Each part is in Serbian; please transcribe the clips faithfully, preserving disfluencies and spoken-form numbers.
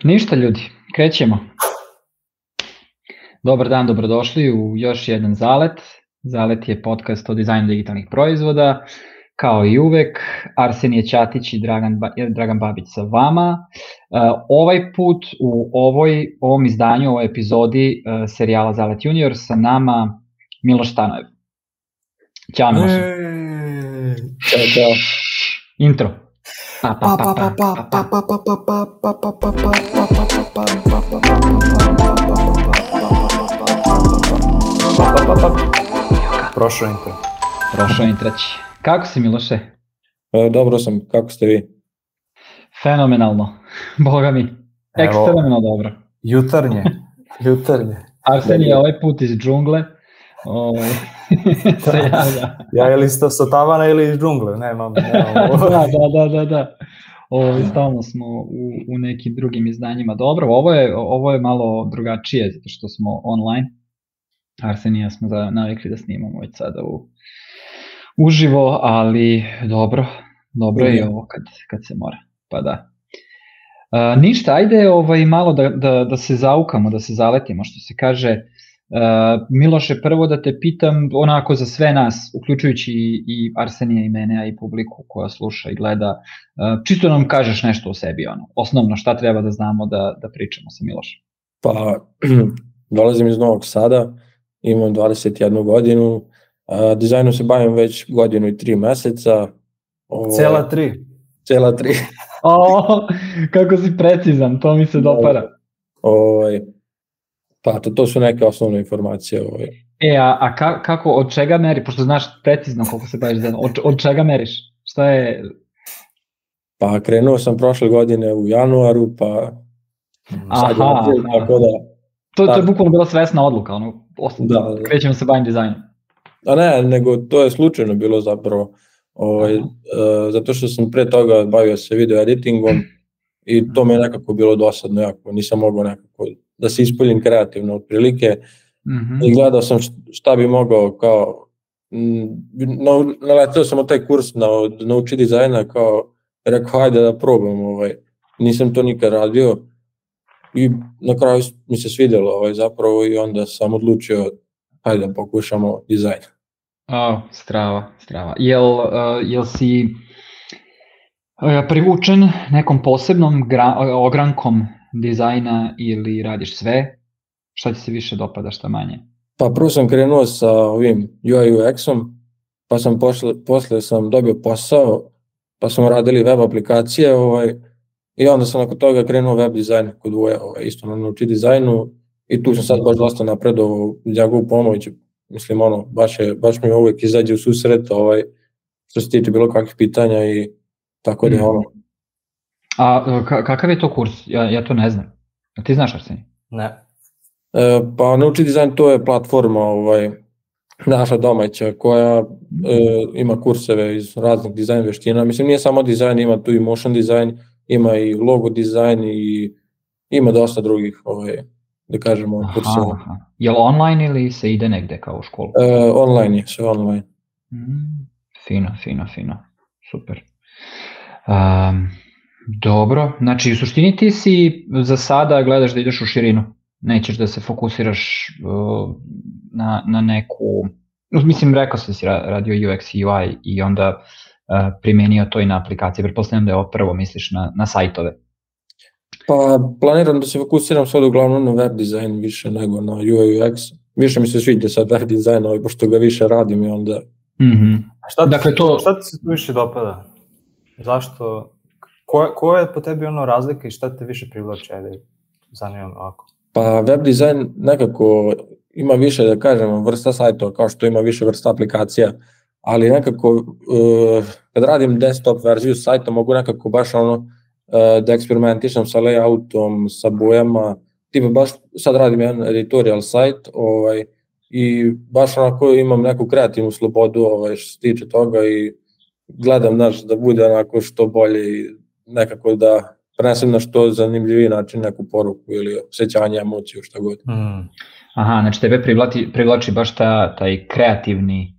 Ništa ljudi, krećemo. Dobar dan, dobrodošli u još jedan Zalet. Zalet je podcast o dizajnu digitalnih proizvoda. Kao i uvek, Arsenije Ćatić i Dragan, ba- Dragan Babić sa vama. Uh, ovaj put u ovoj, ovom izdanju, u ovoj epizodi uh, serijala Zalet Junior sa nama Miloš Stanojev. Ćao Miloše. Ćao, čao. Intro. Pa pa pa pa pa pa pa pa pa pa pa pa pa pa Prošao intro. Prošao intrać. Kako si Miloše? Dobro sam, kako ste vi? Fenomenalno, boga mi, ekstremno dobro. Jutarnje, jutarnje. Arsenije ovaj put iz džungle. Ovaj, se javlja. Ja ili sto sa tavana ili iz džungle, nemam. nemam. da, da, da, da, da. Ovaj, stalno smo u, u nekim drugim izdanjima. Dobro, ovo je, ovo je malo drugačije, zato što smo online. Arsenija smo da, navikli da snimamo već sada u, uživo, ali dobro, dobro je i ovo kad, kad se mora, pa da. Uh, ništa, ajde ovaj, malo da, da, da se zaukamo, da se zaletimo, što se kaže. Uh, Miloše, prvo da te pitam onako za sve nas, uključujući i, i Arsenija i mene, a i publiku koja sluša i gleda, uh, čisto nam kažeš nešto o sebi, ono, osnovno šta treba da znamo da, da pričamo sa Milošem. Pa, dolazim iz Novog Sada, imam dvadeset jednu godinu, uh, dizajnom se bavim već godinu i tri meseca. Ovo, Cela tri. Cela tri. O, kako si precizan, to mi se dopara. Ovaj, pa to, to su neke osnovne informacije. Ovaj. E, a, a ka, kako, od čega meri, pošto znaš precizno koliko se baviš dizajnom, od, od čega meriš? Šta je? Pa krenuo sam prošle godine u januaru, pa sad je Aha, naprijed, tako da... To, to je bukvalno bila svesna odluka, ono, da, da. krećemo se bavim dizajnom. A ne, nego to je slučajno bilo zapravo, ovaj, uh, zato što sam pre toga bavio se video editingom i to mi je nekako bilo dosadno jako, nisam mogao nekako da se ispoljim kreativno otprilike mm-hmm. i gledao sam šta bi mogao kao, no, naletao sam od taj kurs na, nauči dizajna, kao rekao hajde da probam, ovaj, nisam to nikad radio i na kraju mi se svidjelo ovaj, zapravo i onda sam odlučio hajde da pokušamo dizajn. Oh, strava, strava. Jel, uh, jel si uh, privučen nekom posebnom gra, ogrankom dizajna ili radiš sve? Šta ti se više dopada, šta manje? Pa prvo sam krenuo sa ovim U I U X-om, pa sam posle, posle sam dobio posao, pa smo radili web aplikacije ovaj, i onda sam nakon toga krenuo web dizajn kod Vuja, ovaj, isto na nauči dizajnu i tu sam sad baš dosta napredovao njegovu pomoć. Mislim, ono, baš, je, baš mi uvijek izađe u susret ovaj, što se tiče bilo kakvih pitanja i tako da je ono. A k- kakav je to kurs? Ja, ja to ne znam. A ti znaš, Arsenij? Ne. E, pa nauči dizajn, to je platforma ovaj, naša domaća koja e, ima kurseve iz raznih dizajn veština. Mislim, nije samo dizajn, ima tu i motion dizajn, ima i logo dizajn i ima dosta drugih ovaj, da kažemo, kurseva. Aha, je li online ili se ide negde kao u školu? E, online je, sve online. Mm, fino, fino, fino, super. Um, dobro, znači u suštini ti si za sada gledaš da ideš u širinu, nećeš da se fokusiraš uh, na, na neku, mislim rekao sam da si radio U X i U I i onda uh, primenio to i na aplikacije, pretpostavljam da je ovo prvo misliš na, na sajtove. Pa planiram da se fokusiram sad uglavnom na web dizajn više nego na U I U X. Više mi se sviđa sad web dizajn, ovaj, pošto ga više radim i onda... Mm-hmm. Šta, ti, dakle, to... šta ti se tu više dopada? Zašto? Ko, ko je po tebi ono razlika i šta te više privlači? Ajde, zanimam ovako. Pa web dizajn nekako ima više, da kažemo, vrsta sajtova, kao što ima više vrsta aplikacija, ali nekako uh, kad radim desktop verziju sajta mogu nekako baš ono da eksperimentišem sa layoutom, sa bojama, tipa baš sad radim jedan editorial sajt ovaj, i baš onako imam neku kreativnu slobodu ovaj, što se tiče toga i gledam znaš, da bude onako što bolje i nekako da prenesem na što zanimljiviji način neku poruku ili osjećanje, emociju, šta god. Mm. Aha, znači tebe privlači, privlači baš ta, taj kreativni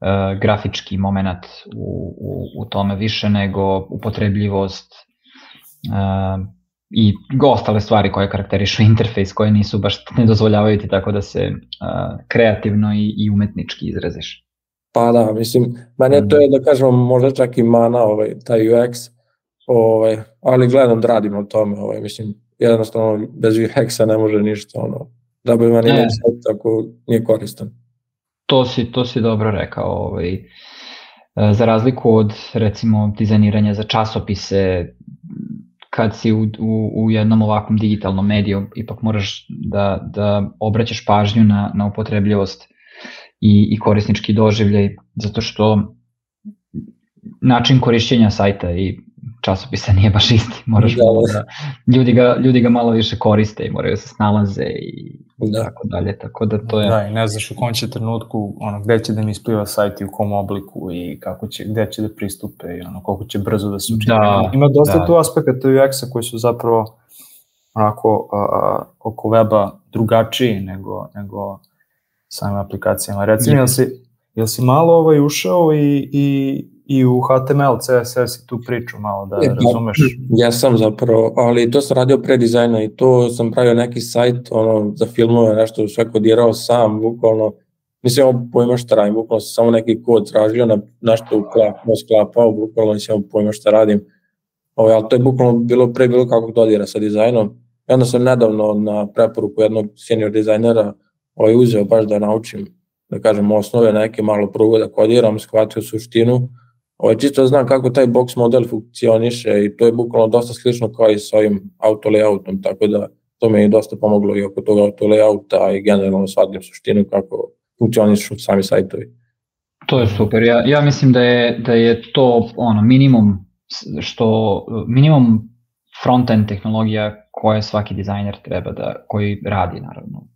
uh, grafički moment u, u, u tome više nego upotrebljivost uh, i ostale stvari koje karakterišu interfejs, koje nisu baš, ne dozvoljavaju ti tako da se uh, kreativno i, i umetnički izraziš. Pa da, mislim, meni to je da kažem možda čak i mana ovaj, taj U X, ovaj, ali gledam da radim o tome, ovaj, mislim, jednostavno bez U X-a ne može ništa, ono, da bi meni ne sad tako nije koristan. To si, to si dobro rekao, ovaj, za razliku od recimo dizajniranja za časopise, kad si u, u, u jednom ovakvom digitalnom mediju, ipak moraš da, da obraćaš pažnju na, na upotrebljivost i, i korisnički doživljaj, zato što način korišćenja sajta i časopisa nije baš isti, moraš da, malo da, ljudi ga, ljudi ga malo više koriste i moraju se snalaze i da. tako dalje, tako da to je... Da, i ne znaš u kom će trenutku, ono, gde će da mi ispliva sajt i u kom obliku i kako će, gde će da pristupe i ono, koliko će brzo da se učini. Da, ima dosta da. tu aspekata U X-a koji su zapravo onako a, a, oko weba drugačiji nego, nego samim aplikacijama. Recimo, jel si, jel si malo ovaj ušao i, i i u H T M L, C S S i tu priču malo da e, razumeš? Ja sam zapravo, ali to sam radio pre dizajna i to sam pravio neki sajt ono, za filmove, nešto sve kodirao sam, bukvalno, mislim ovo pojma šta radim, bukvalno sam samo neki kod tražio, na, nešto uklapao, sklapao, bukvalno nisam ovo pojma šta radim, ovo, ali to je bukvalno bilo pre bilo kakvog dodira sa dizajnom. I onda sam nedavno na preporuku jednog senior dizajnera ovaj, uzeo baš da naučim, da kažem, osnove neke, malo prvo da kodiram, shvatio suštinu. Ovo, čisto znam kako taj box model funkcioniše i to je bukvalno dosta slično kao i sa ovim auto layoutom, tako da to mi je dosta pomoglo i oko toga auto layouta i generalno shvatim suštinu kako funkcionišu sami sajtovi. To je super, ja, ja mislim da je, da je to ono minimum što, minimum front-end tehnologija koje svaki dizajner treba da, koji radi naravno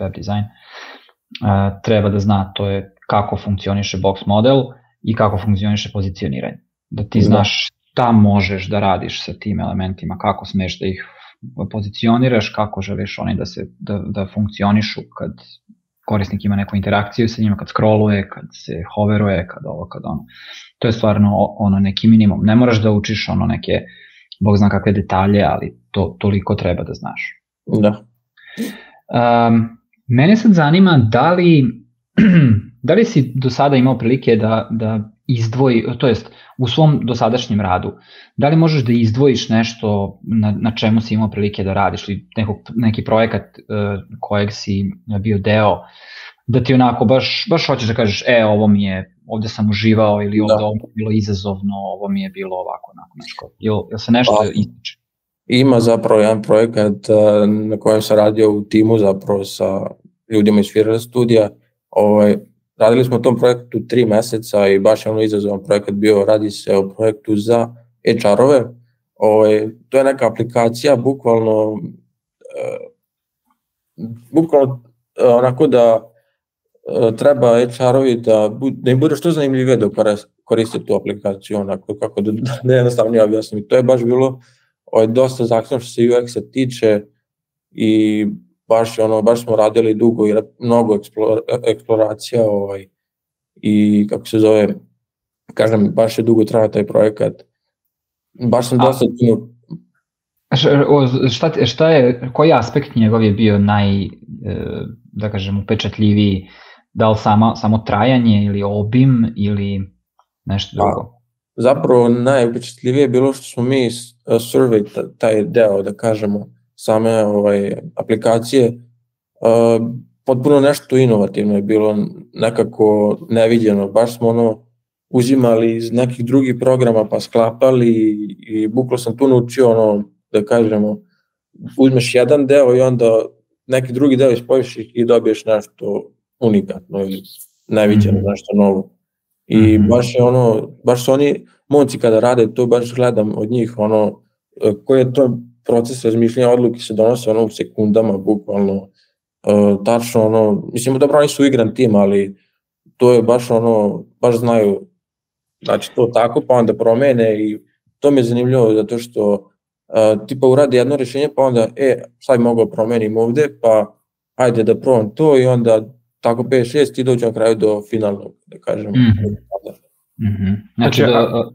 web dizajn, uh, treba da zna, to je kako funkcioniše box model i kako funkcioniše pozicioniranje. Da ti znaš šta možeš da radiš sa tim elementima, kako smeš da ih pozicioniraš, kako želiš oni da, se, da, da funkcionišu kad korisnik ima neku interakciju sa njima, kad scrolluje, kad se hoveruje, kad ovo, kad ono. To je stvarno ono neki minimum. Ne moraš da učiš ono neke, bog zna kakve detalje, ali to toliko treba da znaš. Da. Um, mene sad zanima da li da li si do sada imao prilike da, da izdvoji, to jest u svom dosadašnjem radu, da li možeš da izdvojiš nešto na, na čemu si imao prilike da radiš ili nekog, neki projekat uh, kojeg si bio deo, da ti onako baš, baš hoćeš da kažeš, e, ovo mi je, ovde sam uživao ili ovde ovo mi je bilo izazovno, ovo mi je bilo ovako, onako nešto. Jel, jel se nešto pa, ističe? Ima zapravo jedan projekat uh, na kojem sam radio u timu zapravo sa ljudima iz Firela studija. Ovaj, radili smo u tom projektu tri meseca i baš je ono izazovan projekat bio, radi se o projektu za H R-ove. Ovaj, to je neka aplikacija, bukvalno, uh, bukvalno uh, onako da uh, treba H R-ovi da, da im bude što zanimljivije da koriste tu aplikaciju, onako kako da, da jednostavnije objasnim. To je baš bilo ovaj, dosta zahtevno što se U X-a tiče i baš ono baš smo radili dugo i mnogo eksplora, eksploracija ovaj i kako se zove, kažem, baš je dugo trajao taj projekat. Baš sam dosta puno. Šta, šta je, koji aspekt njegov je bio naj, da kažem, upečatljiviji? Da li samo, samo trajanje ili obim ili nešto drugo? Pa, zapravo najupečatljivije je bilo što smo mi survey taj deo, da kažemo, same ovaj, aplikacije, uh, potpuno nešto inovativno je bilo, nekako neviđeno, baš smo ono uzimali iz nekih drugih programa pa sklapali i, i bukvalno sam tu naučio ono, da kažemo, uzmeš jedan deo i onda neki drugi deo ispojiš i dobiješ nešto unikatno ili neviđeno, mm-hmm. nešto novo. I mm-hmm. baš je ono, baš su oni momci kada rade to, baš gledam od njih ono, koji je to proces razmišljanja, odluke se donose ono u sekundama, bukvalno, uh, tačno ono, mislim, dobro, oni su igran tim, ali to je baš ono, baš znaju, znači to tako, pa onda promene i to mi je zanimljivo, zato što uh, tipa uradi jedno rješenje, pa onda, e, sad bi mogao promenim ovde, pa ajde da probam to i onda tako pet šest i dođem na kraju do finalnog, da kažem. Mm-hmm. Mm-hmm. Znači, da,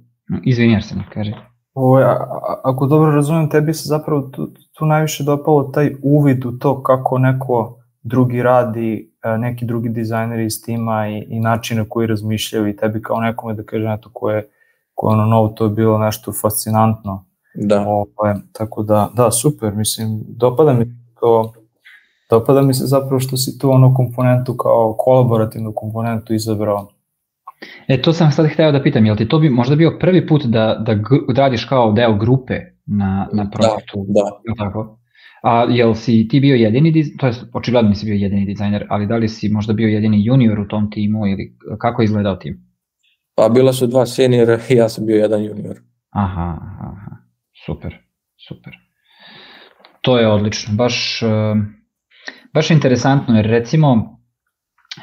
izvini, jer se ne kaže. Ovo, a, a, ako dobro razumijem, tebi se zapravo tu, tu najviše dopalo taj uvid u to kako neko drugi radi, neki drugi dizajneri iz tima i, i načine koji razmišljaju i tebi kao nekome da kažem eto ko je, ko je ono novo, to je bilo nešto fascinantno. Da. Ovo, tako da, da, super, mislim, dopada mi to, dopada mi se zapravo što si tu ono komponentu kao kolaborativnu komponentu izabrao. E, to sam sad hteo da pitam, jel ti to bi možda bio prvi put da, da, da radiš kao deo grupe na, na projektu? Da, da. Tako? A jel si ti bio jedini dizajner, to je očigledno nisi bio jedini dizajner, ali da li si možda bio jedini junior u tom timu ili kako je izgledao tim? Pa bila su dva seniora i ja sam bio jedan junior. Aha, aha, super, super. To je odlično, baš, baš interesantno jer recimo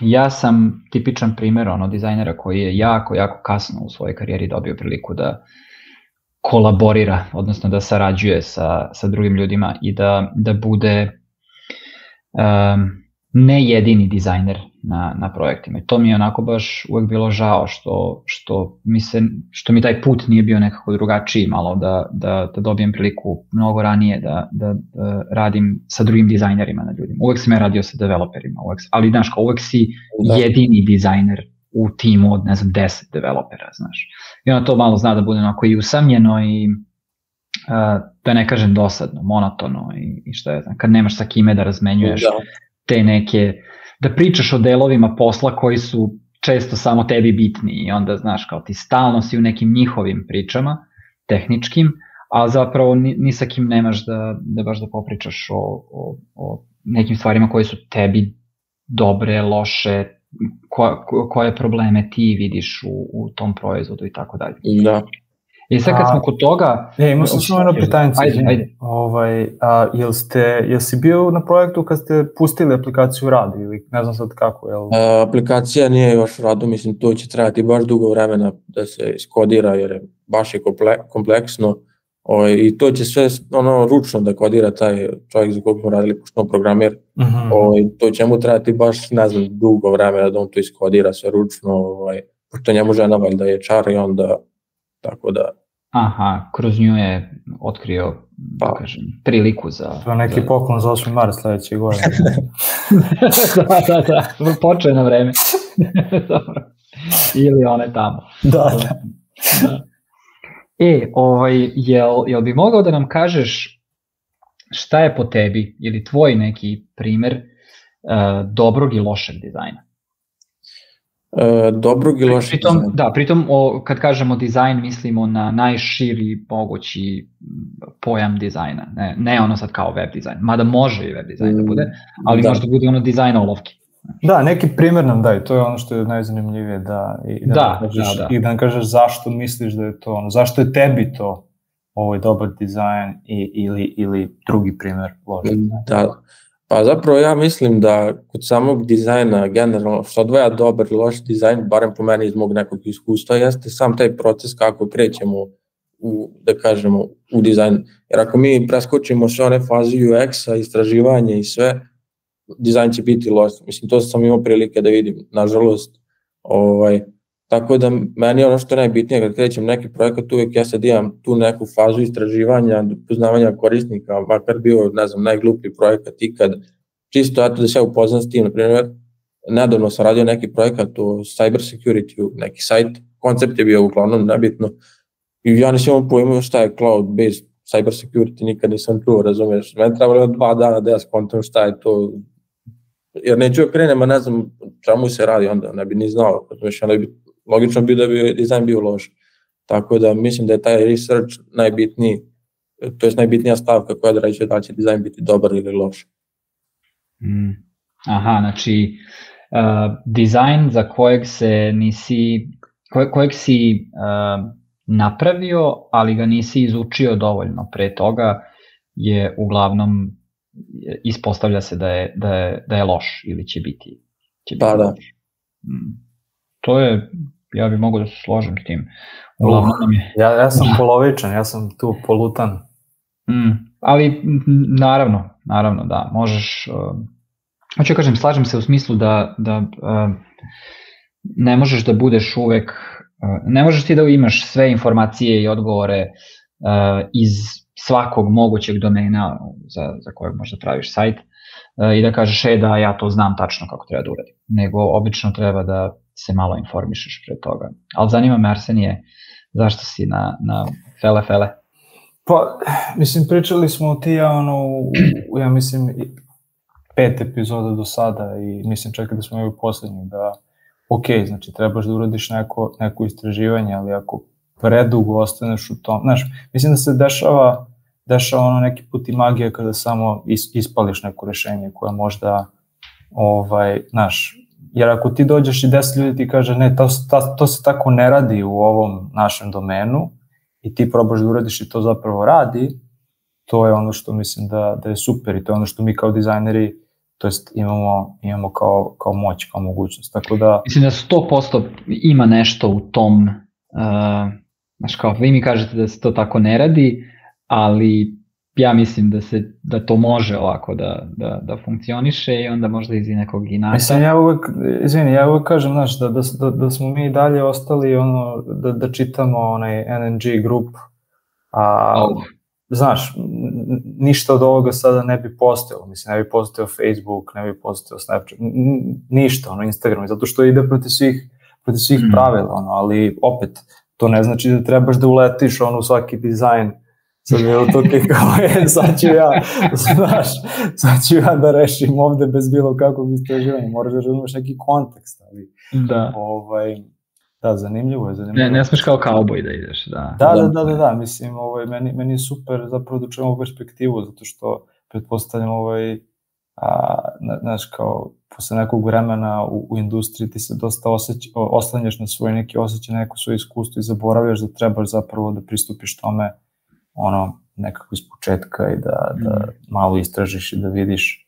ja sam tipičan primjer ono dizajnera koji je jako, jako kasno u svojoj karijeri dobio priliku da kolaborira, odnosno da sarađuje sa, sa drugim ljudima i da, da bude um, ne jedini dizajner na, na projektima. I to mi je onako baš uvek bilo žao što, što, mi se, što mi taj put nije bio nekako drugačiji malo, da, da, da dobijem priliku mnogo ranije da, da, da radim sa drugim dizajnerima na ljudima. Uvek sam ja radio sa developerima, uvek, ali znaš, kao uvek si da. jedini dizajner u timu od, ne znam, deset developera, znaš. I onda to malo zna da bude onako i usamljeno i uh, da ne kažem dosadno, monotono i, i šta je znam, kad nemaš sa kime da razmenjuješ da. te neke, da pričaš o delovima posla koji su često samo tebi bitni i onda, znaš, kao ti stalno si u nekim njihovim pričama, tehničkim, a zapravo ni, ni sa kim nemaš da, da baš da popričaš o, o, o nekim stvarima koje su tebi dobre, loše, Ko, ko, koje probleme ti vidiš u, u tom proizvodu i tako dalje. Da. I sad kad smo kod toga... E, imao sam samo jedno pitanje. Ajde, ajde. Ovaj, a, jel, ste, jel si bio na projektu kad ste pustili aplikaciju u radu ili ne znam sad kako? Jel... A, aplikacija nije još u radu, mislim to će trajati baš dugo vremena da se iskodira jer je baš je komple, kompleksno o, i to će sve ono ručno da kodira taj čovjek za kog smo radili pošto programer. Mm-hmm. O, i to će mu trajati baš ne znam dugo vremena da on to iskodira sve ručno, ovaj, pošto njemu žena valjda je čar i onda tako da... Aha, kroz nju je otkrio, pa, da kažem, priliku za... To je neki za... poklon za osmi mart sledeće godine. da, da, da, počeo na vreme. Dobro. Ili one tamo. Da, da. da. E, ovaj, jel, jel bi mogao da nam kažeš šta je po tebi ili tvoj neki primer uh, dobrog i lošeg dizajna? Uh, dobrog i lošeg pritom, dizajna? Da, pritom o, kad kažemo dizajn mislimo na najširi mogući pojam dizajna, ne, ne ono sad kao web dizajn, mada može i web dizajn da bude, ali da. Možda bude ono dizajn olovki. Da, neki primjer nam daj, to je ono što je najzanimljivije da, i da, da, nam kažeš, da, da. i da nam kažeš zašto misliš da je to ono, zašto je tebi to ovaj dobar dizajn i, ili, ili drugi primjer loš. Da, pa zapravo ja mislim da kod samog dizajna generalno što odvaja dobar i loš dizajn, barem po meni iz mog nekog iskustva, jeste sam taj proces kako krećemo u, da kažemo, u dizajn. Jer ako mi preskočimo sve one faze U X-a, istraživanje i sve, dizajn će biti loš. Mislim, to sam imao prilike da vidim, nažalost. Ovaj, tako da meni je ono što je najbitnije kad krećem neki projekat, uvijek ja sad imam tu neku fazu istraživanja, poznavanja korisnika, makar bio, ne znam, najgluplji projekat ikad. Čisto eto da se ja upoznam s tim, na primjer, nedavno sam radio neki projekat o cyber security, neki sajt, koncept je bio uglavnom nebitno i ja nisam imao pojma šta je cloud-based cyber security, nikad nisam čuo, razumiješ, meni trebalo dva dana da ja skontam šta je to, jer neću krenem, a ne znam čemu se radi, onda ne bi ni znao, razumiješ, onda bi logično bi da bi dizajn bio loš. Tako da mislim da je taj research najbitniji, to je najbitnija stavka koja određuje da će dizajn biti dobar ili loš. Mm. Aha, znači uh, dizajn za kojeg se nisi, koje, kojeg si uh, napravio, ali ga nisi izučio dovoljno pre toga, je uglavnom ispostavlja se da je, da je, da je loš ili će biti, će biti pa, da. loš. Mm. To je, ja bih mogao da se složim s tim. Uglavnom uh, je... ja, ja sam polovičan, ja sam tu polutan. Mm, ali naravno, naravno da, možeš, uh, hoću kažem, slažem se u smislu da, da uh, ne možeš da budeš uvek, uh, ne možeš ti da imaš sve informacije i odgovore uh, iz svakog mogućeg domena za, za kojeg možda praviš sajt uh, i da kažeš, e da, ja to znam tačno kako treba da uradim. Nego obično treba da se malo informišeš pre toga. Ali zanima me, Arsenije, zašto si na, na fele fele? Pa, mislim, pričali smo ti ja, ono, u, ja mislim, pet epizoda do sada i mislim čak da smo imali posljednji, da ok, znači trebaš da uradiš neko, neko istraživanje, ali ako predugo ostaneš u tom, znaš, mislim da se dešava, dešava ono neki put i magija kada samo is, ispališ neko rešenje koje možda, ovaj, znaš, jer ako ti dođeš i deset ljudi ti kaže ne, to, to, to se tako ne radi u ovom našem domenu i ti probaš da uradiš i to zapravo radi, to je ono što mislim da, da je super i to je ono što mi kao dizajneri, to jest imamo, imamo kao, kao moć, kao mogućnost. Tako da... Mislim da sto posto ima nešto u tom, uh, znaš kao, vi mi kažete da se to tako ne radi, ali ja mislim da se da to može ovako da, da, da funkcioniše i onda možda iz nekog inata. Mislim, ja uvek, izvini, ja uvek kažem, znaš, da, da, da smo mi dalje ostali ono, da, da čitamo onaj N N G grup, a... Oh. Znaš, ništa od ovoga sada ne bi postojalo, mislim, ne bi postojao Facebook, ne bi postojao Snapchat, ništa, ono, Instagram, zato što ide protiv svih, protiv svih mm. pravila, ono, ali opet, to ne znači da trebaš da uletiš, ono, u svaki dizajn, sad je to ti kao, je, sad ću ja, znaš, sad ću ja da rešim ovde bez bilo kakvog istraživanja, moraš da razumeš neki kontekst, ali, da. ovaj, da, zanimljivo je, zanimljivo. Ne, ne smeš kao kauboj da ideš, da. Da, da, da, da, da, mislim, ovaj, meni, meni je super zapravo da čujemo perspektivu, zato što pretpostavljam, ovaj, a, znaš, kao, posle nekog vremena u, u industriji ti se dosta osjeć, oslanjaš na svoj neki osjećaj, neko svoje iskustvo i zaboravljaš da trebaš zapravo da pristupiš tome, ono, nekako iz početka i da, da malo istražiš i da vidiš,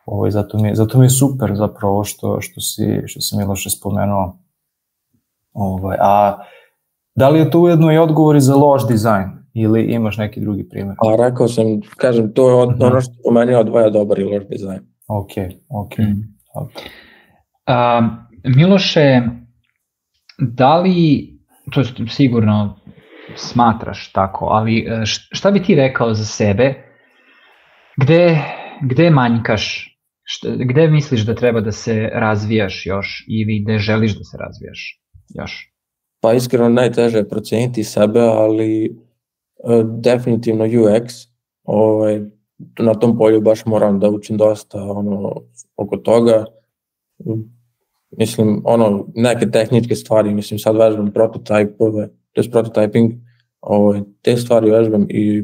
ovaj, zato mi, zato mi je super zapravo što, što si, što si Miloše spomenuo. Ovaj, a da li je to ujedno i odgovor za loš dizajn ili imaš neki drugi primjer? A rekao sam, kažem, to je od, mm-hmm. ono što po meni odvaja dobar i loš dizajn. Ok, ok. Mm. Okay. A, Miloše, da li, to je sigurno smatraš tako, ali šta bi ti rekao za sebe, gde, gde manjkaš, šta, gde misliš da treba da se razvijaš još ili gde želiš da se razvijaš još? Pa iskreno najteže je proceniti sebe, ali uh, definitivno U X, ovaj, na tom polju baš moram da učim dosta ono, oko toga. Mislim, ono, neke tehničke stvari, mislim, sad vežbam prototipove, to je prototyping, ovaj, te stvari vežbam i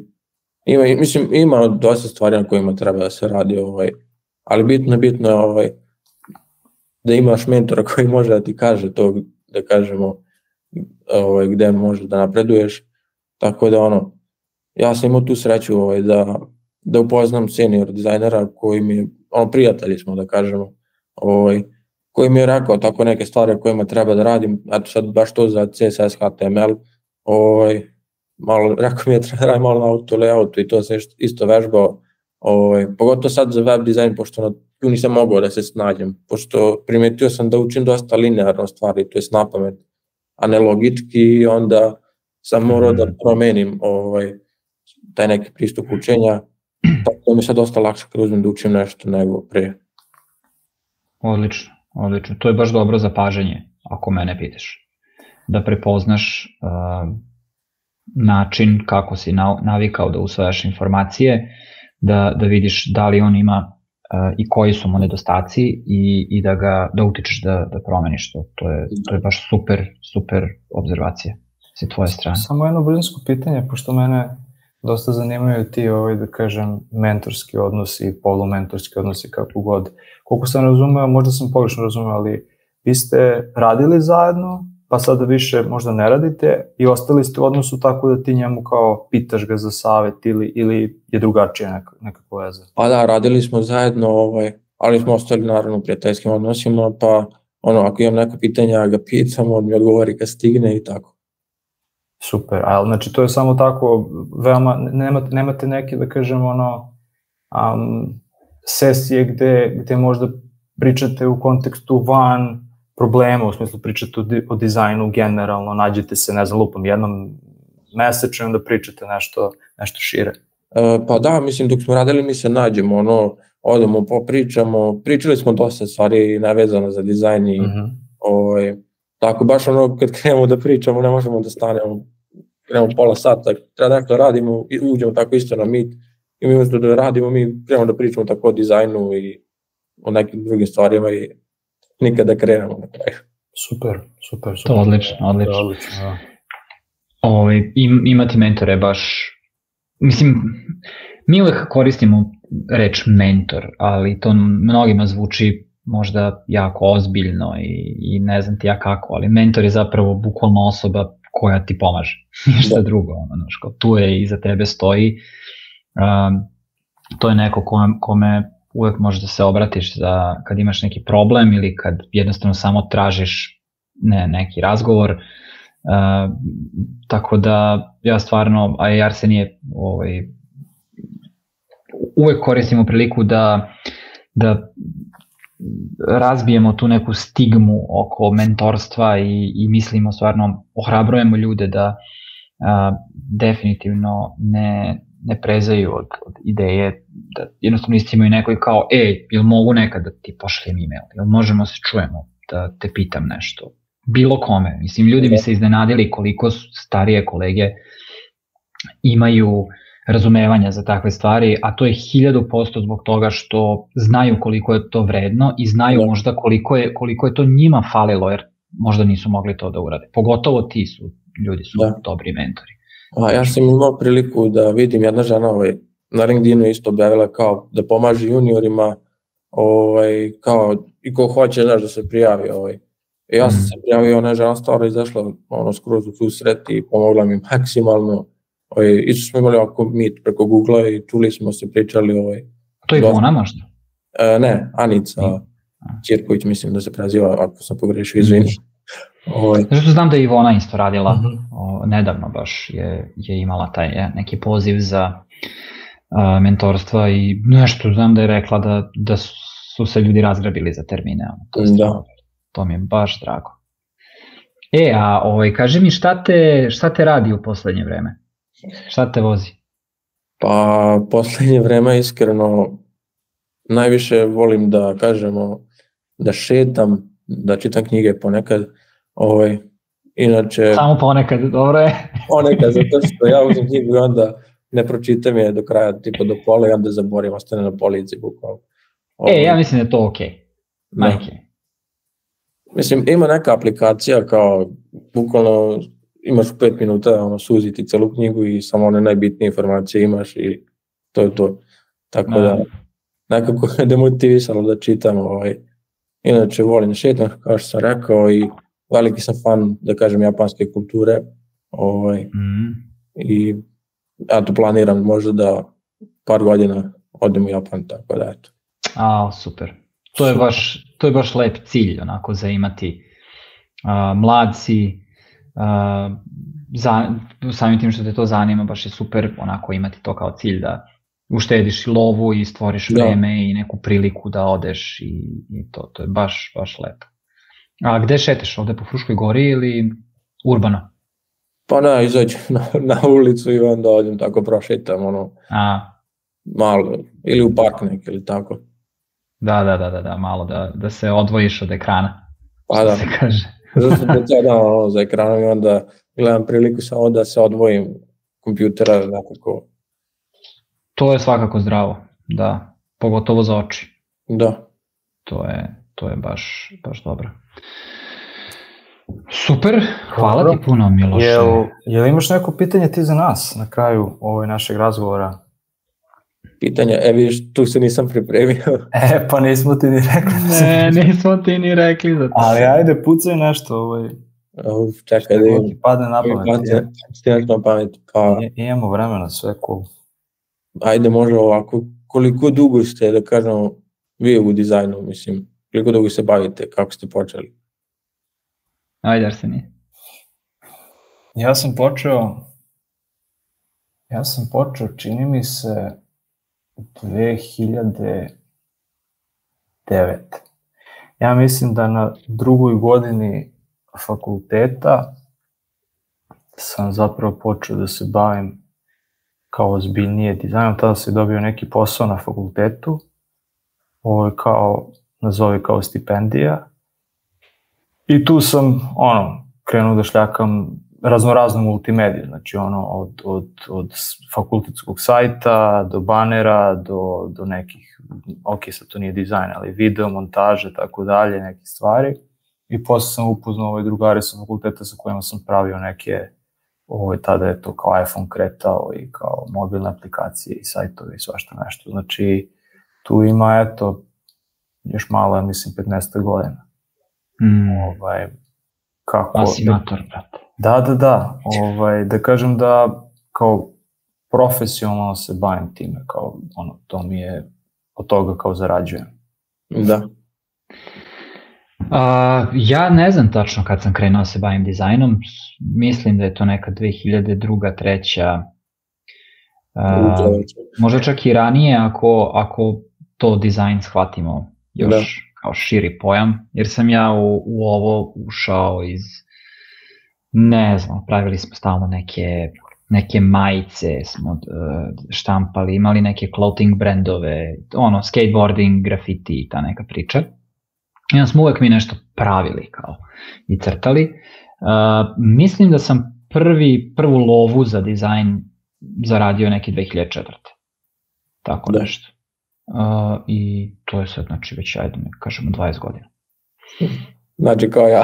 ima, mislim, ima dosta stvari na kojima treba da se radi, ovaj, ali bitno je bitno je ovaj, da imaš mentora koji može da ti kaže to, da kažemo, ovaj, gde možeš da napreduješ, tako da ono, ja sam imao tu sreću ovaj, da, da upoznam senior dizajnera koji mi, ono, prijatelji smo da kažemo, ovaj, koji mi je rekao tako neke stvari kojima treba da radim, eto sad baš to za C S S, H T M L, ovaj, malo, rekao mi je treba da radim malo na auto layoutu i to sam isto vežbao, ovaj, pogotovo sad za web dizajn, pošto na tu nisam mogao da se snađem, pošto primetio sam da učim dosta linearno stvari, to je napamet, a ne logički, i onda sam morao da promenim ovaj, taj neki pristup učenja, tako da mi je sad dosta lakše kad uzmem da učim nešto nego prije. Odlično, odlično. To je baš dobro zapažanje, ako mene pitaš. Da prepoznaš uh, način kako si navikao da usvajaš informacije, da, da vidiš da li on ima uh, i koji su mu nedostaci i, i da ga da utičeš da, da promeniš to. To je, to je baš super, super obzervacija sa tvoje strane. Samo jedno brzansko pitanje, pošto mene dosta zanimaju ti, ovaj, da kažem, mentorski odnosi, polumentorski odnosi, kako god. Koliko sam razumeo, možda sam pogrešno razumeo, ali vi ste radili zajedno, pa sada više možda ne radite i ostali ste u odnosu tako da ti njemu kao pitaš ga za savjet ili, ili je drugačije nekako, nekako veze? Pa da, radili smo zajedno, ovaj, ali smo ostali naravno u prijateljskim odnosima, pa ono, ako imam neko pitanje, ja ga pitam, on mi odgovori kad stigne i tako. Super, ali znači to je samo tako, veoma, nemate, nemate neke, da kažem, ono, um, sesije gde, gde možda pričate u kontekstu van problema, u smislu pričate o, di, o dizajnu generalno, nađete se, ne znam, lupom, jednom mesečno da pričate nešto, nešto šire? Uh, pa da, mislim, dok smo radili mi se nađemo, ono, odemo, popričamo, pričali smo dosta stvari nevezano za dizajn i uh-huh. ovaj, tako baš ono kad krenemo da pričamo ne možemo da stanemo, krenemo pola sata, treba nešto radimo i uđemo tako isto na Meet i mi umjesto da radimo mi krenemo da pričamo tako o dizajnu i o nekim drugim stvarima i nikada krenemo na kraju. Super, super, super. To odlično, odlično. odlično ja. Ove, im, imati mentore baš, mislim, mi uvek koristimo reč mentor, ali to mnogima zvuči možda jako ozbiljno i, i ne znam ti ja kako, ali mentor je zapravo bukvalno osoba koja ti pomaže, ništa drugo, ono, ško, tu je i za tebe stoji, um, to je neko kome, kome uvek možeš da se obratiš za, kad imaš neki problem ili kad jednostavno samo tražiš ne, neki razgovor, uh, tako da ja stvarno, a i Arsenije, ovaj, uvek koristimo priliku da, da razbijemo tu neku stigmu oko mentorstva i, i mislimo stvarno, ohrabrujemo ljude da a, definitivno ne, ne prezaju od, od ideje, da jednostavno istimaju nekoj kao, ej, jel mogu nekad da ti pošaljem e-mail, jel možemo se čujemo, da te pitam nešto, bilo kome, mislim, ljudi bi se iznenadili koliko starije kolege imaju razumevanja za takve stvari, a to je hiljadu posto zbog toga što znaju koliko je to vredno i znaju da. možda koliko je, koliko je to njima falilo, jer možda nisu mogli to da urade. Pogotovo ti su, ljudi su da. dobri mentori. A, ja sam imao priliku da vidim jedna žena ovaj, na LinkedInu isto objavila kao da pomaže juniorima ovaj, kao i ko hoće znaš, da se prijavi. Ovaj. I ja sam mm. se prijavio, ona žena stvarno izašla ono, skroz u susret i pomogla mi maksimalno. Ovaj, isto smo imali ovako Meet preko Google-a i čuli smo se, pričali. Ovaj, to je Ivona možda? E, ne, Anica Ćirković mislim da se preziva, ako sam pogrešio, izvini. Ovaj. Zato znam da je Ivona isto radila, uh-huh. o, nedavno baš je, je imala taj je, neki poziv za a, mentorstva i nešto znam da je rekla da, da su se ljudi razgrabili za termine. To, je stvarno, to mi je baš drago. E, a ovaj, kaži mi šta te, šta te radi u poslednje vreme? Šta te vozi? Pa, poslednje vreme iskreno najviše volim da kažemo da šetam, da čitam knjige ponekad. Ovaj, inače... Samo ponekad, dobro je. Ponekad, zato što ja uzem knjigu i onda ne pročitam je do kraja, tipa do pola i onda zaborim, ostane na polici bukvalno. Ovaj, e, ja mislim da je to okej. Okay. Majke. Mislim, ima neka aplikacija kao, bukvalno imaš pet minuta, ono, suziti celu knjigu i samo one najbitnije informacije imaš i to je to. Tako no. da, nekako je demotivisalo da čitam. Ovaj. Inače, volim šetam, kao što sam rekao, i veliki sam fan, da kažem, japanske kulture. Ovaj. Mm. I ja to planiram možda da par godina odem u Japan, tako da eto. A, super. To je baš, to je baš lep cilj, onako, za imati uh, mladci, uh, za, samim tim što te to zanima, baš je super onako imati to kao cilj da uštediš i lovu i stvoriš vreme da. i neku priliku da odeš i, i to, to je baš, baš lepo. A gde šeteš, ovde po Fruškoj gori ili urbano? Pa ne, izađem na, na ulicu i onda odem tako prošetam, ono, A. malo, ili u park nek, ili tako. Da, da, da, da, da, malo da, da se odvojiš od ekrana, pa da. se kaže. Zato sam predsjedam ono, za ekranom i onda gledam priliku samo da se odvojim kompjutera nekako. To je svakako zdravo, da, pogotovo za oči. Da. To je, to je baš, baš dobro. Super, hvala dobro. Ti puno, Miloše. Jel, jel imaš neko pitanje ti za nas na kraju ovog našeg razgovora? Pitanja, e vidiš, tu se nisam pripremio. E, pa nismo ti ni rekli. Ne, nismo ti ni rekli za to. Ali ajde, pucaj nešto. Ovaj. Uf, čekaj da imam. Ti padne na pamet. Stijaš na pamet. Pa... I, imamo vremena, sve cool. Ajde, može ovako. Koliko dugo ste, da kažemo, vi u dizajnu, mislim, koliko dugo se bavite, kako ste počeli? Ajde, Arsenije. Ja sam počeo, ja sam počeo, čini mi se, dve hiljade devete. Ja mislim da na drugoj godini fakulteta sam zapravo počeo da se bavim kao ozbiljnije dizajnom, tada sam dobio neki posao na fakultetu, ovo je kao, nazovi kao stipendija, i tu sam, ono, krenuo da šljakam raznoraznu multimediju, znači ono, od, od, od fakultetskog sajta, do banera, do, do nekih, ok, sad to nije dizajn, ali video, montaže, tako dalje, neke stvari. I posle sam upoznao ove drugare sa fakulteta sa kojima sam pravio neke, ovo, tada je to kao iPhone kretao i kao mobilne aplikacije i sajtove i svašta nešto. Znači, tu ima, eto, još malo, ja mislim, petnaest godina. Mm. Ovaj, kako... Asimator, brate. Da, da, da. Ovaj, da kažem da kao profesionalno se bavim time, kao ono, to mi je, od toga kao zarađujem. Da. A, ja ne znam tačno kad sam krenuo se bavim dizajnom, mislim da je to neka dve hiljade druga, treća, a, možda čak i ranije ako, ako to dizajn shvatimo još da. Kao širi pojam, jer sam ja u, u ovo ušao iz, ne znam, pravili smo stalno neke, neke majice, smo uh, štampali, imali neke clothing brandove, ono, skateboarding, grafiti i ta neka priča. I onda smo uvek mi nešto pravili kao i crtali. Uh, mislim da sam prvi, prvu lovu za dizajn zaradio neki dve hiljade četvrte. Tako da. Nešto. Uh, I to je sad, znači, već, ajde, ne kažemo, dvadeset godina. Znači, kao ja.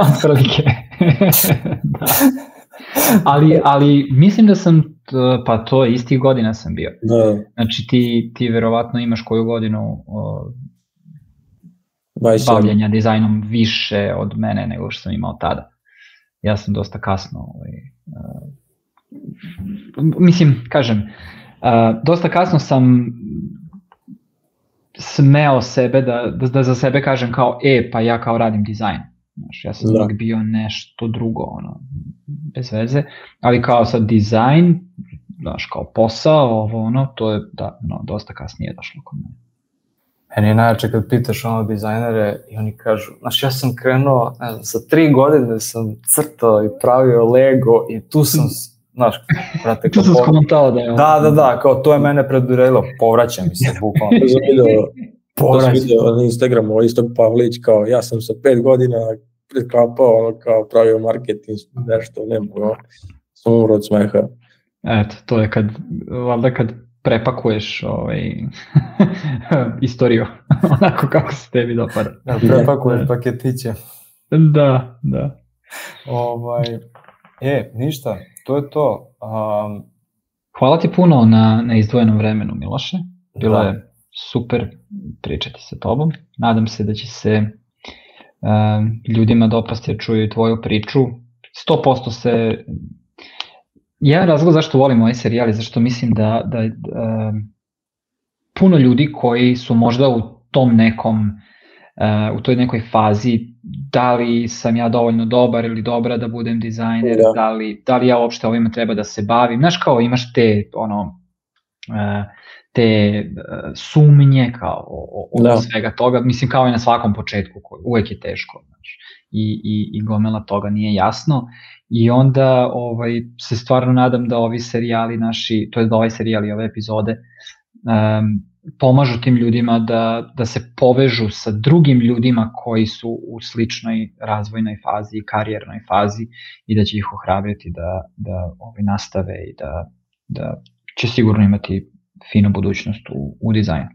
Otprilike. Da. Ali, ali mislim da sam, pa to istih godina sam bio. Da. Znači, ti, ti verovatno imaš koju godinu uh, bavljenja dizajnom više od mene nego što sam imao tada. Ja sam dosta kasno, ovaj, uh, mislim, kažem, uh, dosta kasno sam smeo sebe da, da, da za sebe kažem kao, e, pa ja kao radim dizajn. Znaš, ja sam uvijek bio nešto drugo, ono, bez veze, ali kao sad dizajn, znaš, kao posao, ovo, ono, to je, da, no, dosta kasnije došlo kod mene. Meni je najjače kad pitaš ono dizajnere i oni kažu, znaš, ja sam krenuo, ne znam, sa tri godine sam crtao i pravio Lego i tu sam, znaš, brate, tu sam skomentao da je ovo. Da, da, da, kao to je mene predurelo, povraća mi se, bukvalno. To sam vidio, to sam vidio na Instagramu, Istog Pavlić, kao ja sam sa pet godina preklapao, ono, kao pravio marketing, nešto, ne mogu, sam umro od smeha. Eto, to je kad, valjda kad prepakuješ ovaj, istoriju, onako kako se tebi dopada. Da, prepakuješ paketiće. Da, da. Ovaj, e, ništa, to je to. Um, Hvala ti puno na, na izdvojenom vremenu, Miloše. Bilo da. Je super pričati sa tobom. Nadam se da će se um, ljudima dopasti da čuju tvoju priču. sto posto se... Jedan razlog zašto volim ovaj serijal je zašto mislim da, da uh, puno ljudi koji su možda u tom nekom, uh, u toj nekoj fazi, da li sam ja dovoljno dobar ili dobra da budem dizajner, da, da, li, da li ja uopšte ovima treba da se bavim. Znaš, kao imaš te, ono, uh, te uh, sumnje kao o, o da. Svega toga, mislim kao i na svakom početku, koji uvek je teško, znači, i, i, i gomela toga nije jasno. I onda ovaj, se stvarno nadam da ovi serijali naši, to je da ovaj serijal i ove epizode, um, pomažu tim ljudima da, da se povežu sa drugim ljudima koji su u sličnoj razvojnoj fazi i karijernoj fazi i da će ih ohrabriti da, da ovaj, nastave i da, da će sigurno imati finu budućnost u, u dizajnu.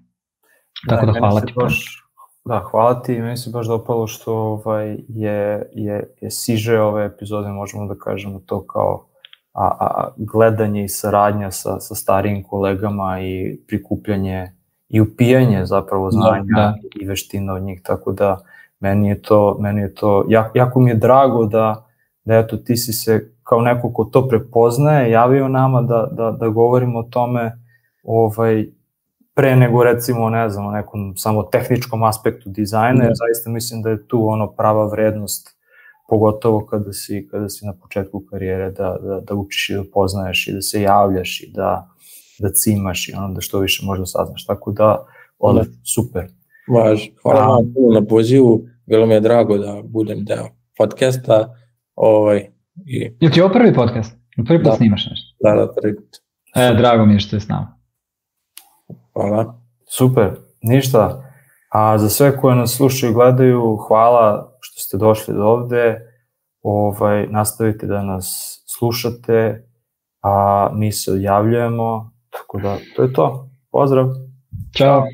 Tako da, da hvala ti. Baš, da, hvala ti. Meni se baš dopalo što ovaj, je, je, je siže ove epizode, možemo da kažemo to kao a, a, gledanje i saradnja sa, sa starijim kolegama i prikupljanje i upijanje zapravo znanja da, da. I veština od njih, tako da meni je to, meni je to jako, jako mi je drago da, da eto, ti si se kao neko ko to prepoznaje, javio nama da, da, da govorimo o tome ovaj, pre nego recimo, ne znam, o nekom samo tehničkom aspektu dizajna, jer zaista mislim da je tu ono prava vrednost, pogotovo kada si, kada si na početku karijere, da, da, da učiš i da poznaješ i da se javljaš i da, da cimaš i ono da što više možda saznaš, tako da, ovdje, super. Važ, hvala vam puno na pozivu, bilo mi je drago da budem deo podcasta, ovaj, I... Je ti ovo prvi podcast? Prvi put da. Snimaš nešto? Da, da, prvi put. E, drago mi je što je s nama. Hvala. Super, ništa. A za sve koje nas slušaju i gledaju, hvala što ste došli do ovde. Ovaj, nastavite da nas slušate, a mi se odjavljujemo. Tako da, to je to. Pozdrav! Ćao!